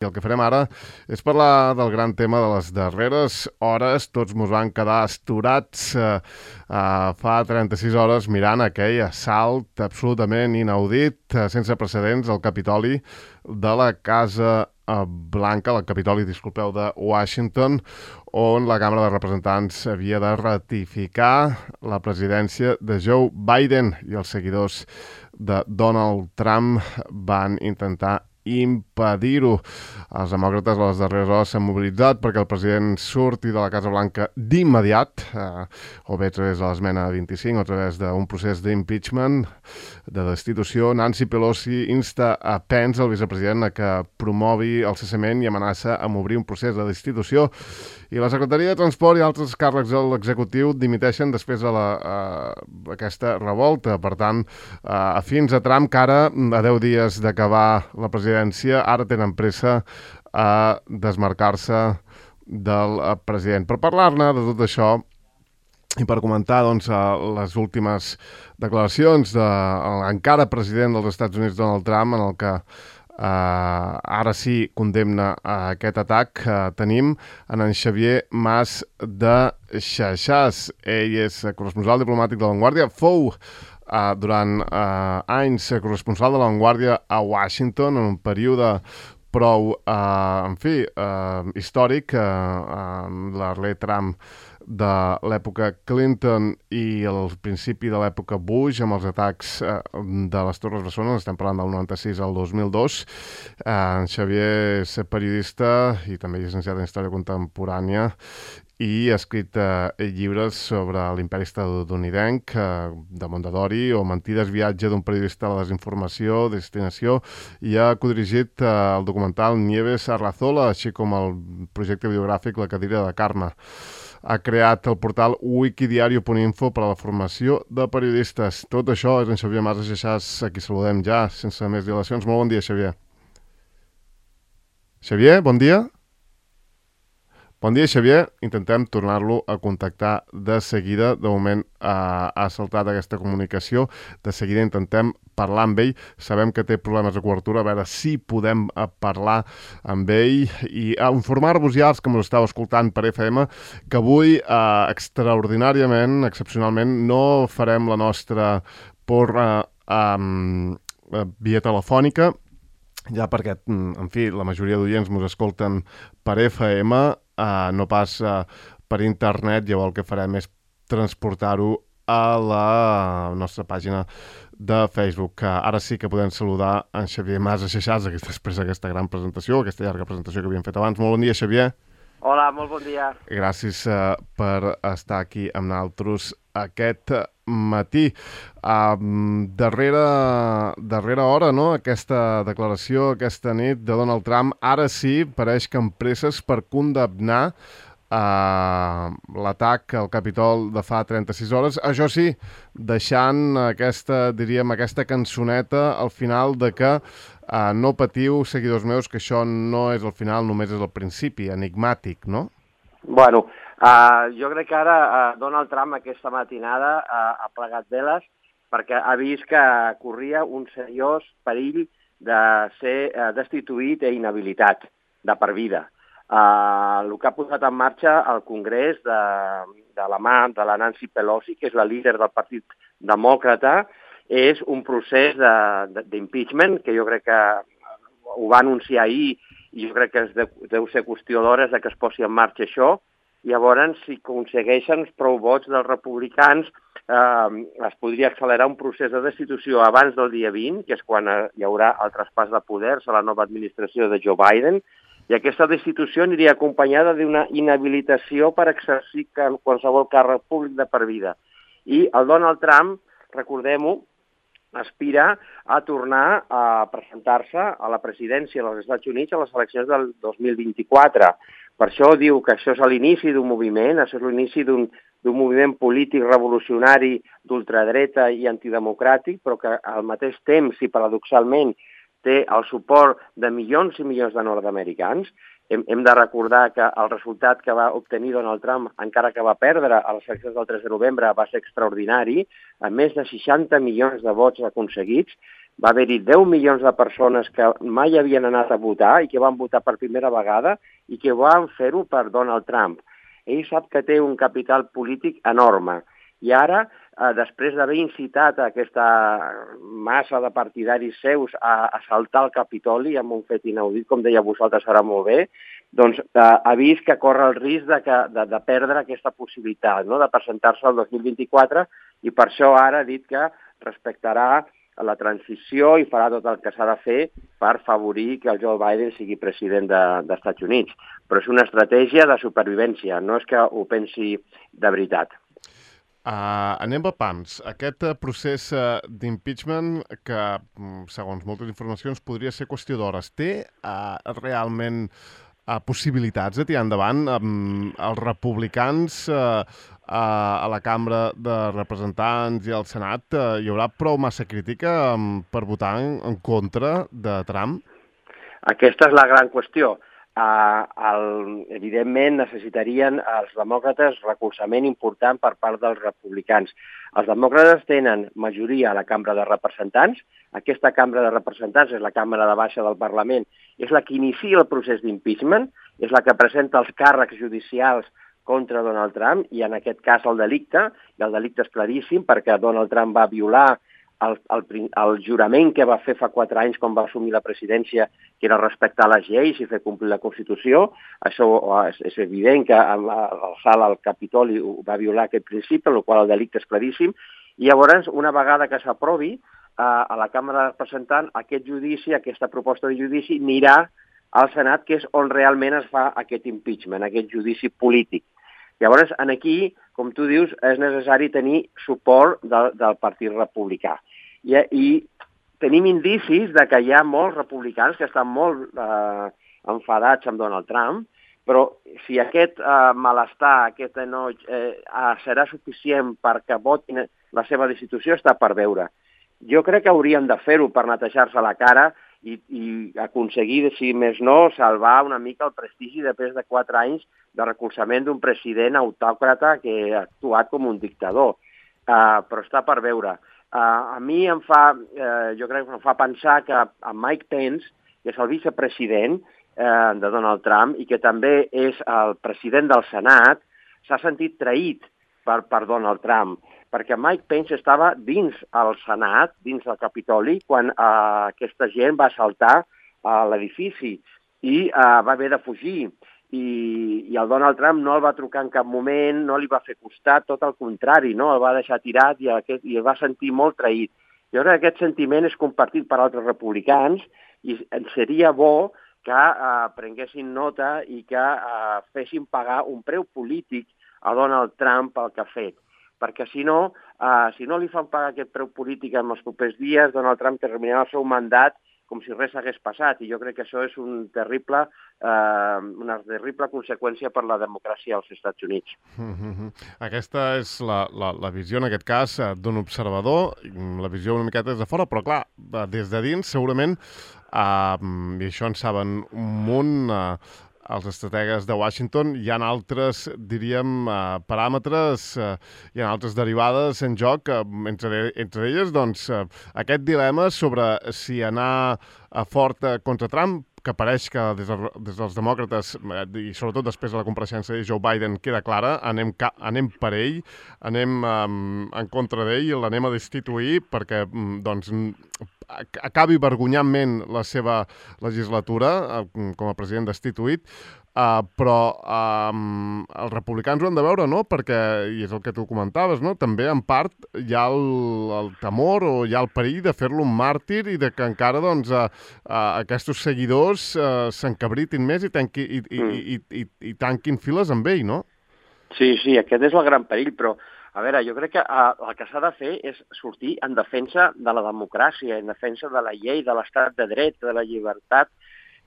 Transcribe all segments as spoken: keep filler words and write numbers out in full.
I el que farem ara és parlar del gran tema de les darreres hores. Tots mos van quedar esturats eh, eh, fa trenta-sis hores mirant aquell assalt absolutament inaudit, eh, sense precedents, al Capitoli de la Casa eh, Blanca, el Capitoli, disculpeu, de Washington, on la Càmera de Representants havia de ratificar la presidència de Joe Biden i els seguidors de Donald Trump van intentar impedir-ho. Els demòcrates a les darreres hores s'han mobilitzat perquè el president surti de la Casa Blanca d'immediat, eh, o bé a través de l'esmena vint-i-cinc o a través d'un procés d'impeachment, de destitució. Nancy Pelosi insta a Pence, el vicepresident, a que promogui el cessament i amenaça amb obrir un procés de destitució. I la Secretaria de Transport i altres càrrecs de l'executiu dimiteixen després de la, uh, aquesta revolta. Per tant, uh, fins a Trump, que ara, a deu dies d'acabar la presidència, ara tenen pressa a desmarcar-se del president. Per parlar-ne de tot això i per comentar doncs, les últimes declaracions de l'encara president dels Estats Units, Donald Trump, en el que Uh, ara sí condemna uh, aquest atac, uh, tenim en en Xavier Mas de Xaixàs. Ell és corresponsal diplomàtic de La Vanguardia, fou uh, durant uh, anys corresponsal de La Vanguardia a Washington en un període prou, uh, en fi, uh, històric, uh, uh, l'Arler Trump de l'època Clinton i el principi de l'època Bush, amb els atacs eh, de les Torres Bessones, estem parlant del noranta-sis al dos mil dos. Eh, en Xavier és periodista i també llicenciat en Història Contemporània i ha escrit eh, llibres sobre l'imperi estatunidenc, eh, de Mondadori, o Mentides, viatge d'un periodista a la desinformació, destinació, i ha codirigit eh, el documental Nieves Arrazola, així com el projecte biogràfic La cadira de Carme. Ha creat el portal wikidiario punt info per a la formació de periodistes. Tot això és en Xavier Mas de Xaixàs, a qui saludem ja, sense més dilacions. Molt bon dia, Xavier. Xavier, bon dia. Bon dia, Xavier. Intentem tornar-lo a contactar de seguida. De moment eh, ha saltat aquesta comunicació. De seguida intentem parlar amb ell. Sabem que té problemes de cobertura, a veure si podem eh, parlar amb ell i a informar-vos ja, els que m'ho estàu escoltant per F M, que avui, eh, extraordinàriament, excepcionalment, no farem la nostra porra eh, via telefònica, ja perquè, en fi, la majoria d'oients mos escolten per F M, Uh, no pas uh, per internet. Llavors el que farem és transportar-ho a la nostra pàgina de Facebook. Que ara sí que podem saludar en Xavier Mas de Xaixàs després d'aquesta gran presentació, aquesta llarga presentació que havíem fet abans. Molt bon dia, Xavier. Hola, molt bon dia. Gràcies uh, per estar aquí amb nosaltres aquest matí. Uh, darrere, darrere hora, no?, aquesta declaració, aquesta nit de Donald Trump, ara sí pareix que amb presses per condemnar uh, l'atac al Capitol de fa trenta-sis hores. Això sí, deixant aquesta, diríem, aquesta cançoneta al final de que uh, no patiu, seguidors meus, que això no és el final, només és el principi, enigmàtic, no? Bueno, uh, jo crec que ara uh, Donald Trump aquesta matinada uh, ha plegat veles perquè ha vist que corria un seriós perill de ser uh, destituït i inhabilitat de per vida. Uh, el que ha posat en marxa el Congrés de, de la mà de la Nancy Pelosi, que és la líder del Partit Demòcrata, és un procés d'impeachment que jo crec que ho va anunciar ahir i jo crec que es de, deu ser qüestió d'hores que es posi en marxa això. Llavors, si aconsegueixen prou vots dels republicans, eh, es podria accelerar un procés de destitució abans del dia vint, que és quan hi haurà el traspàs de poders a la nova administració de Joe Biden, i aquesta destitució aniria acompanyada d'una inhabilitació per exercir qualsevol càrrec públic de per vida. I el Donald Trump, recordem-ho, aspira a tornar a presentar-se a la presidència dels Estats Units a les eleccions del dos mil vint-i-quatre. Per això diu que això és l'inici d'un moviment, això és l'inici d'un d'un moviment polític revolucionari d'ultradreta i antidemocràtic, però que al mateix temps, i paradoxalment, té el suport de milions i milions de nord-americans. Hem, hem de recordar que el resultat que va obtenir Donald Trump, encara que va perdre a les eleccions del tres de novembre, va ser extraordinari, amb més de seixanta milions de vots aconseguits, va haver-hi deu milions de persones que mai havien anat a votar i que van votar per primera vegada i que van fer-ho per Donald Trump. Ell sap que té un capital polític enorme i ara, eh, després d'haver incitat a aquesta massa de partidaris seus a, a saltar el Capitoli amb un fet inaudit, com deia vosaltres ara molt bé, doncs eh, ha vist que corre el risc de, que, de, de perdre aquesta possibilitat, no?, de presentar-se el dos mil vint-i-quatre, i per això ara ha dit que respectarà la transició i farà tot el que s'ha de fer per favorir que el Joe Biden sigui president de, dels Estats Units. Però és una estratègia de supervivència, no és que ho pensi de veritat. Uh, anem a pams. Aquest uh, procés uh, d'impeachment que, um, segons moltes informacions, podria ser qüestió d'hores. Té uh, realment uh, possibilitats de tirar endavant? Um, els republicans uh, uh, a la Cambra de Representants i al Senat, uh, hi haurà prou massa crítica um, per votar en, en contra de Trump? Aquesta és la gran qüestió. Uh, el, evidentment necessitarien els demòcrates recolzament important per part dels republicans. Els demòcrates tenen majoria a la Cambra de Representants. Aquesta Cambra de Representants és la Càmera de Baixa del Parlament, és la que inicia el procés d'impeachment, és la que presenta els càrrecs judicials contra Donald Trump, i en aquest cas el delicte, i el delicte és claríssim perquè Donald Trump va violar El, el, el jurament que va fer fa quatre anys quan va assumir la presidència, que era respectar les lleis i fer complir la Constitució. Això és, és evident que l'alçar al Capitoli va violar aquest principi, en el qual el delicte és claríssim. I llavors, una vegada que s'aprovi a, a la Càmera de Representants, aquest judici, aquesta proposta de judici, anirà al Senat, que és on realment es fa aquest impeachment, aquest judici polític. Llavors, aquí, com tu dius, és necessari tenir suport de, del Partit Republicà. I, i tenim indicis de que hi ha molts republicans que estan molt eh, enfadats amb Donald Trump, però si aquest eh, malestar, aquest enoig, eh, serà suficient perquè votin la seva destitució, està per veure. Jo crec que haurien de fer-ho per netejar-se la cara i, i aconseguir, si més no, salvar una mica el prestigi després de quatre anys de recolzament d'un president autòcrata que ha actuat com un dictador. Uh, però està per veure. Uh, a mi em fa, uh, jo crec que em fa pensar que a Mike Pence, que és el vicepresident uh, de Donald Trump i que també és el president del Senat, s'ha sentit traït per, per Donald Trump, perquè Mike Pence estava dins el Senat, dins del Capitoli, quan uh, aquesta gent va saltar a l'edifici i uh, va haver de fugir. I, i el Donald Trump no el va trucar en cap moment, no li va fer costat, tot el contrari, no? El va deixar tirat i, aquest, i el va sentir molt traït. Jo crec que aquest sentiment és compartit per altres republicans i seria bo que eh, prenguessin nota i que eh, fessin pagar un preu polític a Donald Trump pel que ha fet. Perquè si no, eh, si no li fan pagar aquest preu polític en els propers dies, Donald Trump terminarà el seu mandat com si res hagués passat, i jo crec que això és un terrible, eh, una terrible conseqüència per la democràcia als Estats Units. Mm-hmm. Aquesta és la, la, la visió, en aquest cas, d'un observador, la visió una miqueta des de fora, però clar, des de dins, segurament, eh, i això en saben un munt, eh, els estrategues de Washington, hi ha altres, diríem, uh, paràmetres, uh, hi ha altres derivades en joc, uh, entre, entre elles, doncs, uh, aquest dilema sobre si anar uh, fort uh, contra Trump, que pareix que des, de, des dels demòcrates, uh, i sobretot després de la compareixença de Joe Biden, queda clara, anem, ca anem per ell, anem um, en contra d'ell, l'anem a destituir perquè, um, doncs, acabi vergonyantment la seva legislatura uh, com a president destituït, uh, però um, els republicans ho han de veure, no? Perquè, i és el que tu comentaves, no? També en part hi ha el, el temor o hi ha el perill de fer-lo un màrtir i de que encara doncs, uh, uh, aquests seguidors uh, s'encabritin més i, tanqui, i, i, mm. i, i, i, i tanquin files amb ell, no? Sí, sí, aquest és el gran perill, però a veure, jo crec que uh, el que s'ha de fer és sortir en defensa de la democràcia, en defensa de la llei, de l'estat de dret, de la llibertat,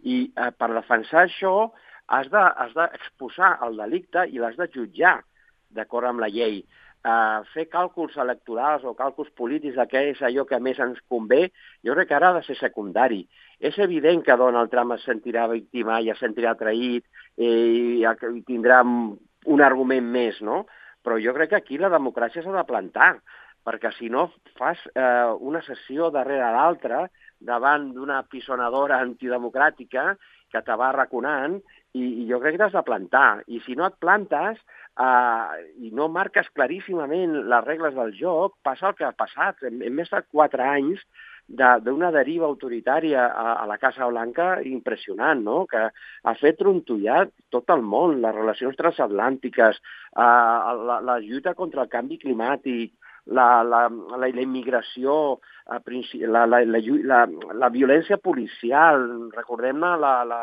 i uh, per defensar això has d'exposar de, el delicte i l'has de jutjar d'acord amb la llei. Uh, fer càlculs electorals o càlculs polítics de què és allò que més ens convé, jo crec que ara ha de ser secundari. És evident que Donald Trump es sentirà víctima i es sentirà traït i, i tindrà un argument més, no? Però jo crec que aquí la democràcia s'ha de plantar. perquè si no fas eh, una sessió darrere l'altra davant d'una pisonadora antidemocràtica que te va arraconant i, i jo crec que t'has de plantar. I si no et plantes eh, i no marques claríssimament les regles del joc, passa el que ha passat. Hem, hem estat quatre anys d'una de, deriva autoritària a, a la Casa Blanca impressionant, no? Que ha fet trontollar tot el món, les relacions transatlàntiques, eh, la, la lluita contra el canvi climàtic, la, la, la, la immigració, la, la, la, la, la violència policial, recordem-ne la, la,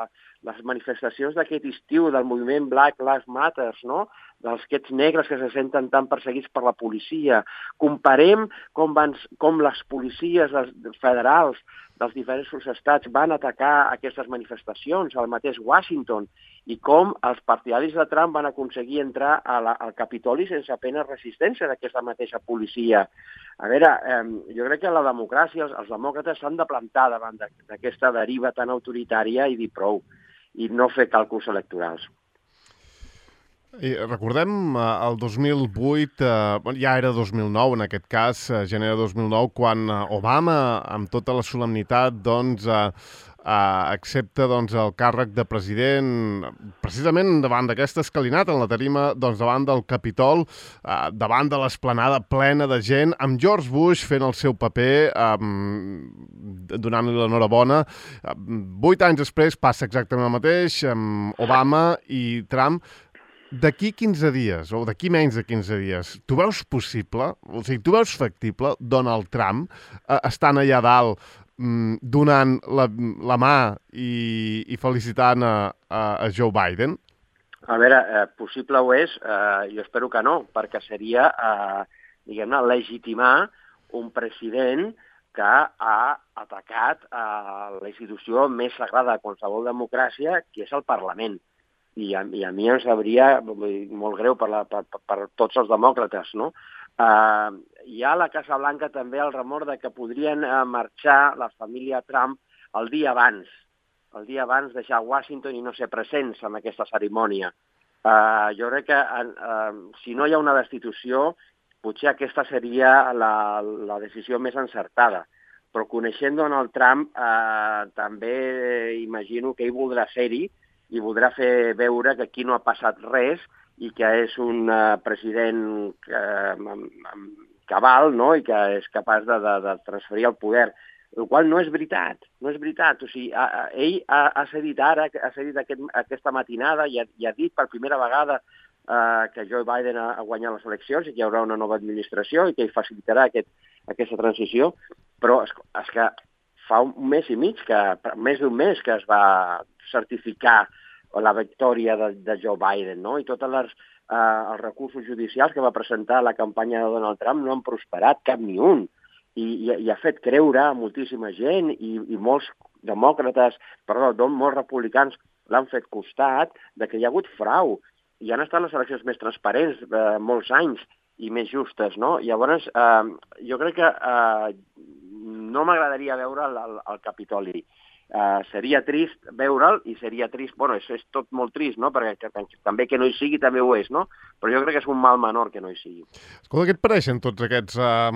les manifestacions d'aquest estiu del moviment Black Lives Matter, no? Dels aquests negres que se senten tan perseguits per la policia. Comparem com, van, com les policies federals dels diferents estats van atacar aquestes manifestacions al mateix Washington i com els partidaris de Trump van aconseguir entrar a la, al Capitoli sense apenas resistència d'aquesta mateixa policia. A veure, eh, jo crec que la democràcia, els, els demòcrates s'han de plantar davant d'aquesta deriva tan autoritària i dir prou, i no fer càlculs electorals. I recordem eh, el dos mil vuit, eh, ja era dos mil nou en aquest cas, eh, gener de dos mil nou, quan Obama, amb tota la solemnitat, doncs, eh, eh, accepta doncs, el càrrec de president, precisament davant d'aquesta escalinata, en la tarima, doncs, davant del Capitol, eh, davant de l'esplanada plena de gent, amb George Bush fent el seu paper, eh, donant-li l'enhorabona. Eh, vuit anys després passa exactament el mateix, amb Obama i Trump. D'aquí quinze dies, o d'aquí menys de quinze dies, tu veus possible, o sigui, tu veus factible Donald Trump eh, estant allà dalt, mm, donant la, la mà i, i felicitant a, a, a Joe Biden? A veure, eh, possible ho és, eh, jo espero que no, perquè seria, eh, diguem-ne, legitimar un president que ha atacat eh, la institució més sagrada de qualsevol democràcia, que és el Parlament. I a, i a mi em sabria molt greu per, la, per, per tots els demòcrates, no? Uh, hi ha a la Casa Blanca també el remor de que podrien uh, marxar la família Trump el dia abans, el dia abans deixar Washington i no ser presents en aquesta cerimònia. Uh, jo crec que uh, si no hi ha una destitució, potser aquesta seria la, la decisió més encertada. Però coneixent Donald Trump, uh, també imagino que ell voldrà ser-hi i voldrà fer veure que aquí no ha passat res i que és un uh, president uh, cabal, no? I que és capaç de, de, de transferir el poder, el qual no és veritat, no és veritat. O sigui, a, a, ell ha, ha cedit ara, ha cedit aquest, aquesta matinada i ha, i ha dit per primera vegada uh, que Joe Biden ha, ha guanyat les eleccions i que hi haurà una nova administració i que ell facilitarà aquest, aquesta transició, però és, és que fa un mes i mig, que, més d'un mes que es va certificar la victòria de, de Joe Biden, no? I tots els, eh, els recursos judicials que va presentar la campanya de Donald Trump no han prosperat cap ni un. I, i, i ha fet creure a moltíssima gent i, i molts demòcrates, perdó, molts republicans l'han fet costat de que hi ha hagut frau. I han estat les eleccions més transparents eh, molts anys i més justes, no? Llavors, eh, jo crec que eh, no m'agradaria veure el, el, el Capitoli. Uh, seria trist veure'l i seria trist, bueno, és, és tot molt trist, no? Perquè que, que, també que no hi sigui també ho és, no? Però jo crec que és un mal menor que no hi sigui. Escolta, què et pareixen tots aquests, uh,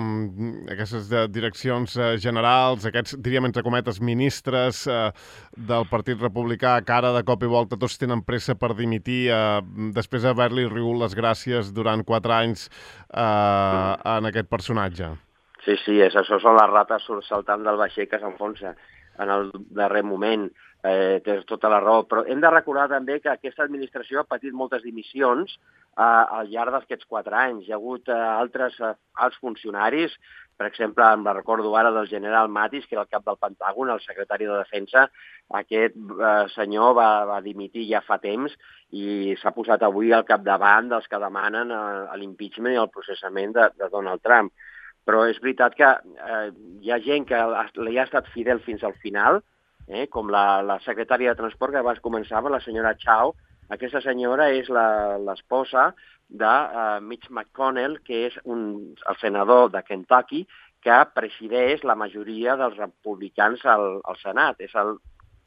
aquestes uh, direccions uh, generals, aquests, diríem entre cometes, ministres uh, del Partit Republicà, que ara de cop i volta tots tenen pressa per dimitir uh, després d'haver-li rigut les gràcies durant quatre anys uh, mm. en aquest personatge? Sí, sí, és, això són les rates saltant del vaixell que s'enfonsa en el darrer moment, eh, tens tota la raó, però hem de recordar també que aquesta administració ha patit moltes dimissions eh, al llarg d'aquests quatre anys. Hi ha hagut eh, altres eh, alts funcionaris, per exemple, em recordo ara del general Mattis, que era el cap del Pentàgon, el secretari de Defensa. Aquest eh, senyor va, va dimitir ja fa temps i s'ha posat avui al capdavant dels que demanen eh, l'impeachment i el processament de, de Donald Trump. Però és veritat que eh, hi ha gent que li ha estat fidel fins al final, eh, com la, la secretària de Transport que abans començava, la senyora Chao. Aquesta senyora és l'esposa de uh, Mitch McConnell, que és un, el senador de Kentucky, que presideix la majoria dels republicans al, al Senat. És el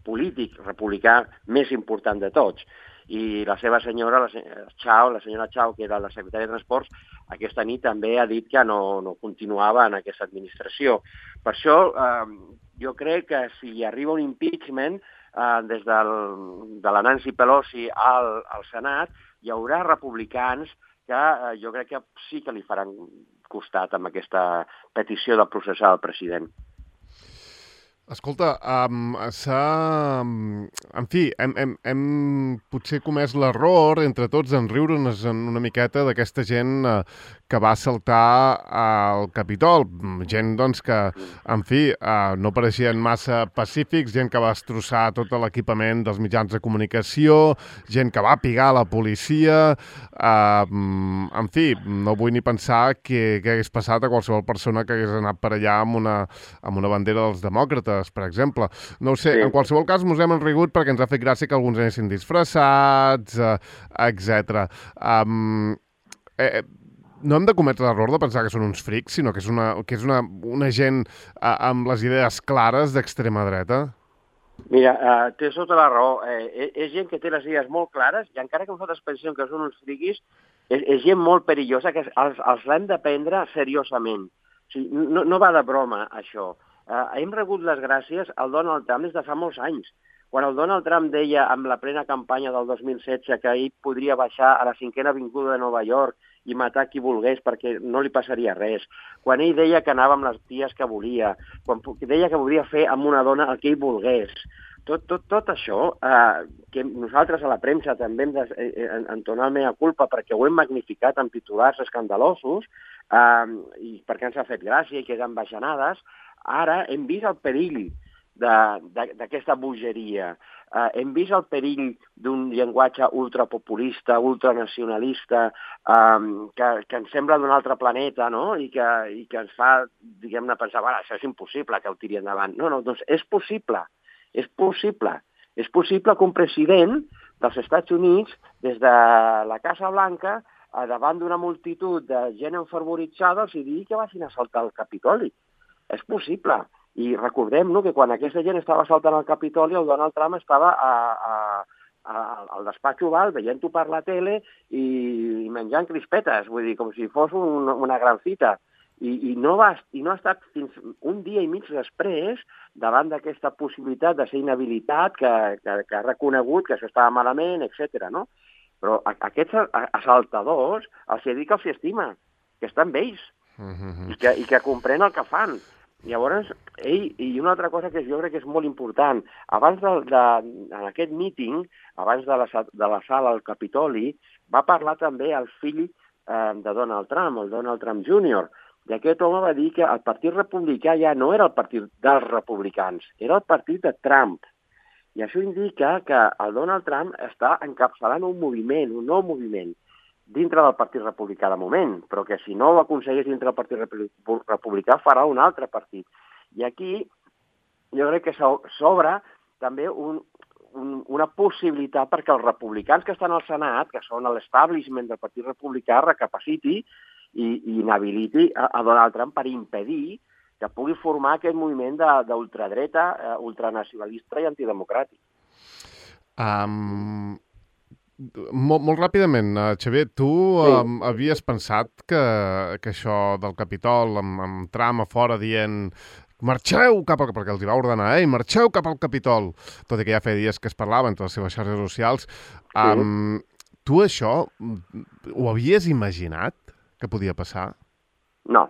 polític republicà més important de tots. i la seva senyora, la senyora Chao, la senyora Chao, que era la secretària de Transports, aquesta nit també ha dit que no, no continuava en aquesta administració. Per això eh, jo crec que si arriba un impeachment eh, des del, de la Nancy Pelosi al, al Senat, hi haurà republicans que eh, jo crec que sí que li faran costat amb aquesta petició de processar el president. Escolta, um, s'ha... En fi, hem, hem, hem potser comès l'error entre tots en riure'ns una miqueta d'aquesta gent uh, que va saltar al Capitol. Gent, doncs, que, en fi, uh, no pareixien massa pacífics, gent que va destrossar tot l'equipament dels mitjans de comunicació, gent que va pigar la policia... Uh, en fi, no vull ni pensar què hagués passat a qualsevol persona que hagués anat per allà amb una, amb una bandera dels demòcrates, per exemple. No ho sé, sí. En qualsevol cas mos hem enrigut perquè ens ha fet gràcia que alguns anessin disfressats, eh, etcètera. Um, eh, no hem de cometre l'error de pensar que són uns frics, sinó que és una, que és una, una gent eh, amb les idees clares d'extrema dreta. Mira, uh, tens tota la raó. Eh, és gent que té les idees molt clares i encara que nosaltres pensem que són uns friquis, és, és gent molt perillosa que els, els l'hem de prendre seriosament. O sigui, no, no va de broma, això. Uh, hem rebut les gràcies al Donald Trump des de fa molts anys. Quan el Donald Trump deia amb la plena campanya del dos mil setze que ell podria baixar a la cinquena avinguda de Nova York i matar qui volgués perquè no li passaria res, quan ell deia que anava amb les ties que volia, quan deia que volia fer amb una dona el que ell volgués, tot, tot, tot això, eh, que nosaltres a la premsa també hem d'entonar el mea culpa perquè ho hem magnificat amb titulars escandalosos, eh, i perquè ens ha fet gràcia i queden bajanades, ara hem vist el perill d'aquesta bogeria. Uh, hem vist el perill d'un llenguatge ultrapopulista, ultranacionalista, um, que, que ens sembla d'un altre planeta, no? I que, i que ens fa, diguem-ne, pensar, bueno, això és impossible que ho tiri endavant. No, no, doncs és possible, és possible. És possible que un president dels Estats Units, des de la Casa Blanca, davant d'una multitud de gent enfervoritzada, els digui que vagin a saltar el Capitoli. És possible. I recordem no, que quan aquesta gent estava saltant al Capitoli, el Donald Trump estava a, a, a, al despatx oval veient-ho per la tele i, i menjant crispetes, vull dir, com si fos un, una gran fita. I, i, no va, I no ha estat fins un dia i mig després, davant d'aquesta possibilitat de ser inhabilitat, que, que, que ha reconegut que això estava malament, etcètera. No? Però a, aquests assaltadors els ha dit que els estima, que està amb ells, uh-huh. i, que, i que comprèn el que fan. Llavors, ell, i una altra cosa que jo crec que és molt important, abans de, de, en aquest míting, abans de l'assalt al Capitoli, va parlar també el fill eh, de Donald Trump, el Donald Trump júnior, i aquest home va dir que el Partit Republicà ja no era el partit dels republicans, era el partit de Trump. I això indica que el Donald Trump està encapçalant un moviment, un nou moviment, dintre del Partit Republicà de moment, però que si no ho aconsegueix dintre del Partit Republicà farà un altre partit. I aquí jo crec que s'obre també un, un, una possibilitat perquè els republicans que estan al Senat, que són l'establishment del Partit Republicà, recapaciti i, i inhabiliti a, a Donald Trump per impedir que pugui formar aquest moviment d'ultradreta, uh, ultranacionalista i antidemocràtic. Um... Molt, molt ràpidament, Xavier, tu sí. um, havies pensat que, que això del Capitol, amb, amb Trump a fora dient marxeu cap al... perquè els hi va ordenar, eh? Marxeu cap al Capitol, tot i que ja feia dies que es parlava entre les seves xarxes socials. Um, sí. Tu això ho havies imaginat que podia passar? No,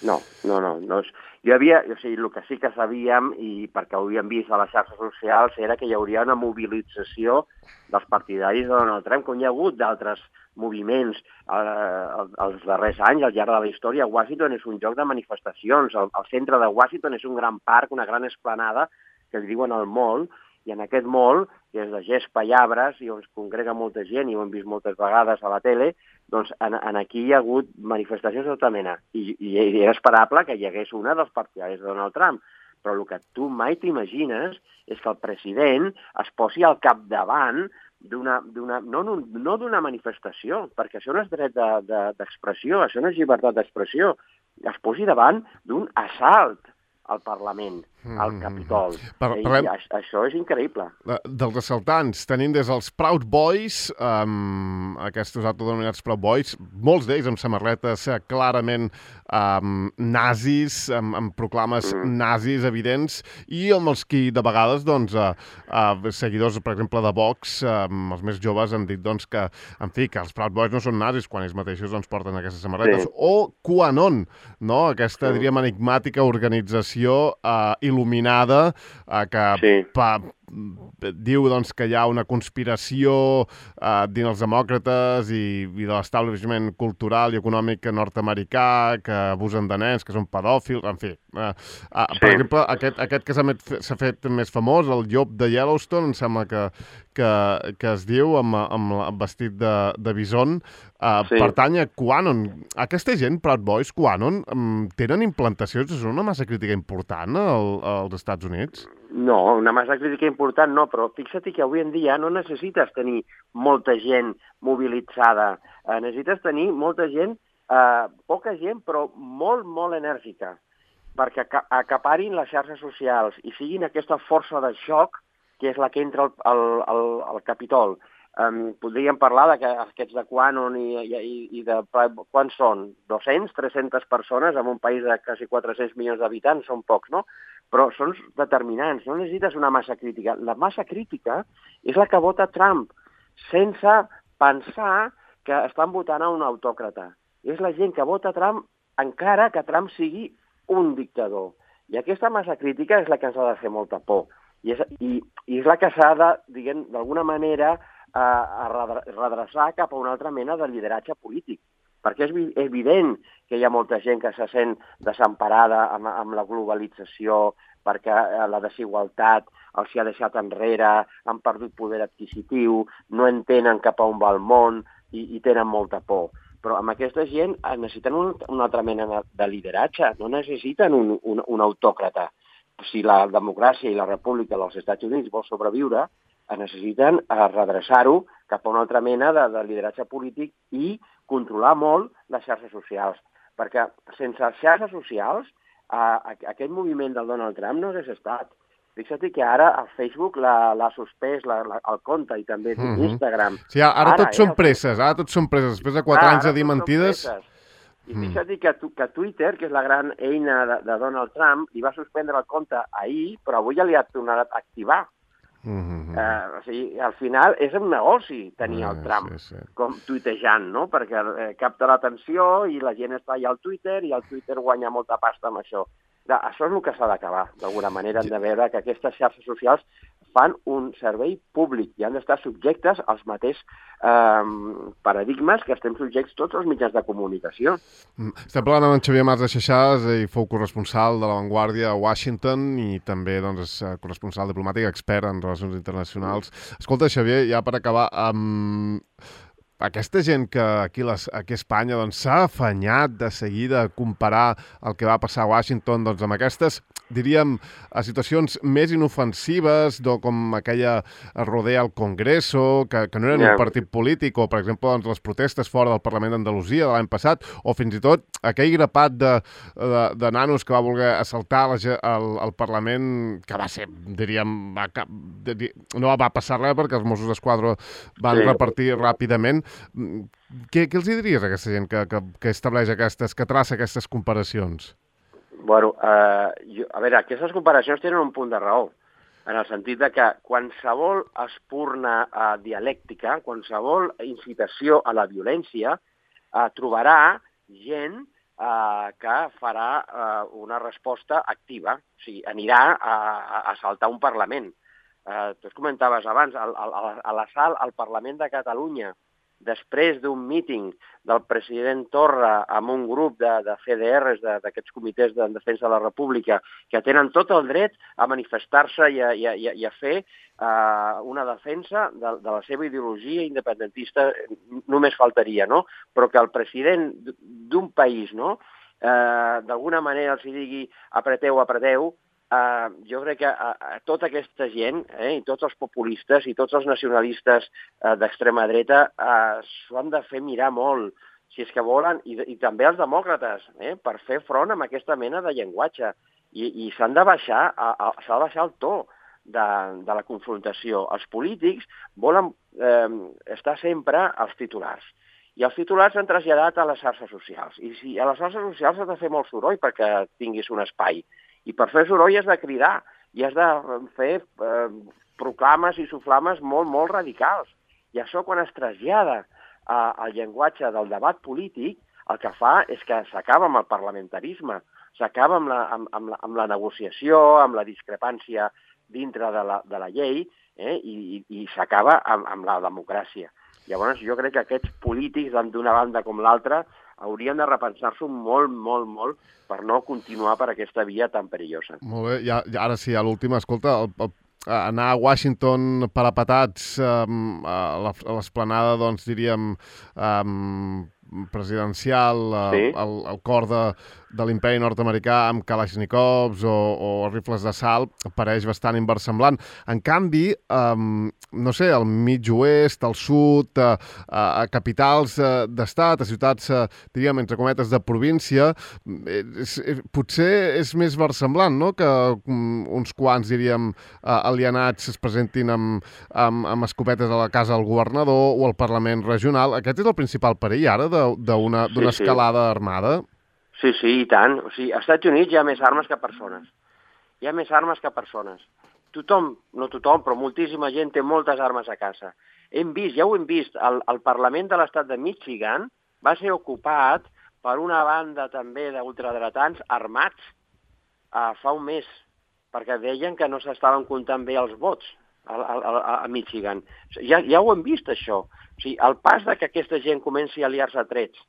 no, no, no. no. Jo havia, o sigui, el que sí que sabíem, i perquè ho havíem vist a les xarxes socials, era que hi hauria una mobilització dels partidaris de Donald Trump, com hi ha hagut d'altres moviments eh, els darrers anys, al llarg de la història. Washington és un lloc de manifestacions. El, el centre de Washington és un gran parc, una gran esplanada, que es diuen el Mall, i en aquest mall, que és de gespa i arbres, i on es congrega molta gent, i ho hem vist moltes vegades a la tele, doncs en, en aquí hi ha hagut manifestacions de tota mena. I, i era esperable que hi hagués una dels partidaris de Donald Trump. Però el que tu mai t'imagines és que el president es posi al capdavant d'una, d'una, no, no d'una manifestació, perquè això no és dret de, de, d'expressió, això no és llibertat d'expressió, es posi davant d'un assalt al Parlament, al Capitol. Par I parlem... això és increïble. Dels assaltants, tenim des dels Proud Boys, um, aquests autodenominats Proud Boys, molts d'ells amb samarretes uh, clarament um, nazis, amb, amb proclames mm. nazis evidents, i amb els qui de vegades, doncs, uh, uh, seguidors, per exemple, de Vox, um, els més joves han dit, doncs, que, en fi, que els Proud Boys no són nazis quan ells mateixos, doncs, porten aquestes samarretes. Sí. O QAnon, no?, aquesta, sí. diríem, enigmàtica organització uh, il·luminada uh, que sí. pa, diu doncs, que hi ha una conspiració eh, dins els demòcrates i, i de l'establishment cultural i econòmic nord-americà, que abusen de nens, que són pedòfils, en fi. Eh, eh, sí. Per exemple, aquest, aquest que s'ha fet més famós, el llop de Yellowstone, em sembla que, que, que es diu, amb, amb, amb vestit de, de bison, eh, sí. pertany a QAnon. Aquesta gent, Proud Boys, QAnon, tenen implantacions, és una massa crítica important al, als Estats Units? No, una massa crítica important no, però fixa't que avui en dia no necessites tenir molta gent mobilitzada, eh, necessites tenir molta gent, eh, poca gent, però molt, molt enèrgica, perquè acaparin les xarxes socials i siguin aquesta força de xoc que és la que entra al, al, al, al Capitol. Um, podríem parlar de que aquests de QAnon i, i, i de... Quan són? dos-cents, tres-centes persones en un país de quasi quatre-cents milions d'habitants? Són pocs, no? Però són determinants, no necessites una massa crítica. La massa crítica és la que vota Trump, sense pensar que estan votant a un autòcrata. És la gent que vota Trump encara que Trump sigui un dictador. I aquesta massa crítica és la que ens ha de fer molta por. I és, i, i és la que s'ha de, diguem, d'alguna manera, a, a redreçar cap a una altra mena de lideratge polític. Perquè és evident que hi ha molta gent que se sent desemparada amb, amb la globalització, perquè la desigualtat els ha deixat enrere, han perdut poder adquisitiu, no entenen cap a on va el món i, i tenen molta por. Però amb aquesta gent necessiten un, una altra mena de lideratge, no necessiten un, un, un autòcrata. Si la democràcia i la república dels Estats Units vol sobreviure, necessiten redreçar-ho cap a una altra mena de, de lideratge polític i controlar molt les xarxes socials. Perquè sense xarxes socials, eh, aquest moviment del Donald Trump no hagués estat. Fixa't que ara a Facebook l'ha suspès la, la, el compte i també mm -hmm. Instagram. Sí, ara, ara tots eh, són presses, ara tots són presses. Després de quatre ah, anys de dir mentides... I fixa't que, que Twitter, que és la gran eina de, de Donald Trump, li va suspendre el compte ahir, però avui ja li ha tornat a activar. Mm-hmm. eh, o sigui, al final és un negoci tenir el Trump sí, sí. com tuitejant, no? Perquè eh, capta l'atenció i la gent està allà al Twitter i el Twitter guanya molta pasta amb això. Això és el que s'ha d'acabar, d'alguna manera. Hem de veure que aquestes xarxes socials fan un servei públic i han d'estar subjectes als mateixos eh, paradigmes que estem subjects tots els mitjans de comunicació. Estem parlant amb en Xavier Mas de Xaixàs, ell fou corresponsal de La Vanguardia a Washington i també doncs, és corresponsal diplomàtic, expert en relacions internacionals. Escolta, Xavier, ja per acabar, amb... aquesta gent que aquí, les, aquí a Espanya doncs, s'ha afanyat de seguida a comparar el que va passar a Washington doncs, amb aquestes, diríem, a situacions més inofensives, do, com aquella rodea al Congreso, que, que no eren yeah. un partit polític, o, per exemple, doncs, les protestes fora del Parlament d'Andalusia de l'any passat, o fins i tot aquell grapat de, de, de nanos que va voler assaltar la, el, el Parlament, que va ser, diríem, va, no va passar res perquè els Mossos d'Esquadra van sí. repartir ràpidament. Què, què els diries a aquesta gent que, que, que estableix aquestes, que traça aquestes comparacions? Bueno, eh, jo, a veure, aquestes comparacions tenen un punt de raó, en el sentit de que qualsevol espurna eh, dialèctica, qualsevol incitació a la violència, eh, trobarà gent eh, que farà eh, una resposta activa, o sigui, anirà a, a assaltar un Parlament. Eh, tu es comentaves abans, a, a, a l'assalt al Parlament de Catalunya, després d'un míting del president Torra amb un grup de, de C D Rs, d'aquests comitès de defensa de la República, que tenen tot el dret a manifestar-se i a, i a, i a fer uh, una defensa de, de la seva ideologia independentista, només faltaria, no? Però que el president d'un país, no?, uh, d'alguna manera els digui apreteu, apreteu, Uh, jo crec que uh, tota aquesta gent, eh, i tots els populistes i tots els nacionalistes uh, d'extrema dreta uh, s'ho han de fer mirar molt, si és que volen, i, i també els demòcrates, eh, per fer front amb aquesta mena de llenguatge. i, i s'han de baixar, s'ha de baixar el to de, de la confrontació. Els polítics volen eh, estar sempre als titulars. I els titulars s'han traslladat a les xarxes socials. I si a les xarxes socials has de fer molt soroll perquè tinguis un espai. I per fer soroll has de cridar i has de fer eh, proclames i soflames molt, molt radicals. I això, quan es trasllada eh, al llenguatge del debat polític, el que fa és que s'acaba amb el parlamentarisme, s'acaba amb, la, amb, amb, la, amb la negociació, amb la discrepància dintre de la, de la llei, eh, i, i s'acaba amb, amb la democràcia. Llavors, jo crec que aquests polítics, d'una banda com l'altra, haurien de repensar-s'ho molt, molt, molt per no continuar per aquesta via tan perillosa. Molt bé, ja, ja, ara sí, a l'última, escolta, el, el, anar a Washington parapetats um, a l'esplanada, doncs, diríem, um, presidencial, sí. el, el cor de, de l'imperi nord-americà amb kalashnikovs o, o rifles d'assalt, pareix bastant inversemblant. En canvi, um, no sé, al mig oest, al sud, a, a capitals d'estat, a ciutats, diríem, entre cometes, de província, és, és, potser és més versemblant, no?, que um, uns quants, diríem, alienats es presentin amb, amb, amb escopetes a la casa del governador o al Parlament regional. Aquest és el principal perill ara d'una sí, escalada sí. armada? Sí, sí, i tant. O sigui, als Estats Units hi ha més armes que persones. Hi ha més armes que persones. Tothom, no tothom, però moltíssima gent té moltes armes a casa. Hem vist, ja ho hem vist, el, el Parlament de l'estat de Michigan va ser ocupat per una banda també d'ultradretans armats uh, fa un mes, perquè deien que no s'estaven comptant bé els vots a, a, a Michigan. Ja, ja ho hem vist, això. O sigui, el pas de que aquesta gent comenci a liar-se a trets.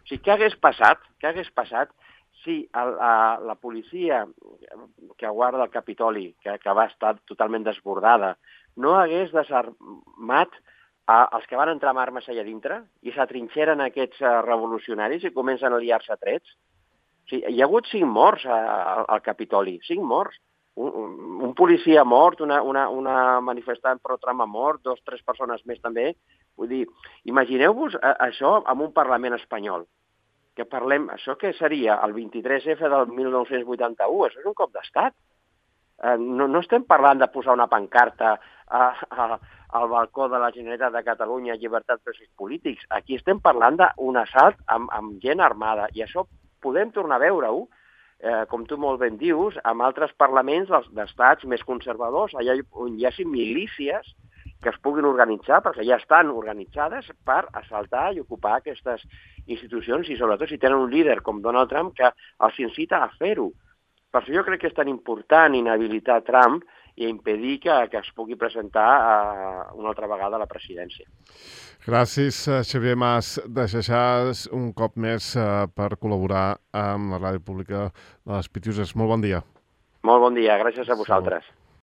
O sigui, què hagués passat? Què hagués passat si el, a, la policia que guarda el Capitoli, que, que va estar totalment desbordada, no hagués desarmat a, els que van entrar amb armes allà dintre i s'atrinxeren aquests uh, revolucionaris i comencen a liar-se a trets? O sigui, hi ha hagut cinc morts a, a, al Capitoli, cinc morts. Un, un, un policia mort, una, una, una manifestant pro-Trump mort, dos, tres persones més també. Vull dir, imagineu-vos a, això amb un Parlament espanyol. Que parlem, això què seria? El vint-i-tres efa del mil nou-cents vuitanta-u, això és un cop d'estat. Eh, no, no estem parlant de posar una pancarta a, a, al balcó de la Generalitat de Catalunya, llibertat presos polítics. Aquí estem parlant d'un assalt amb, amb gent armada, i això podem tornar a veure-ho, eh, com tu molt ben dius, amb altres parlaments d'estats més conservadors, allà on hi hagi milícies que es puguin organitzar, perquè ja estan organitzades per assaltar i ocupar aquestes institucions, i sobretot si tenen un líder com Donald Trump que els incita a fer-ho. Per això jo crec que és tan important inhabilitar Trump i impedir que, que es pugui presentar uh, una altra vegada a la presidència. Gràcies, Xavier Mas de Xaxàs, un cop més uh, per col·laborar amb la Ràdio Pública de les Pitiuses. Molt bon dia. Molt bon dia, gràcies a vosaltres.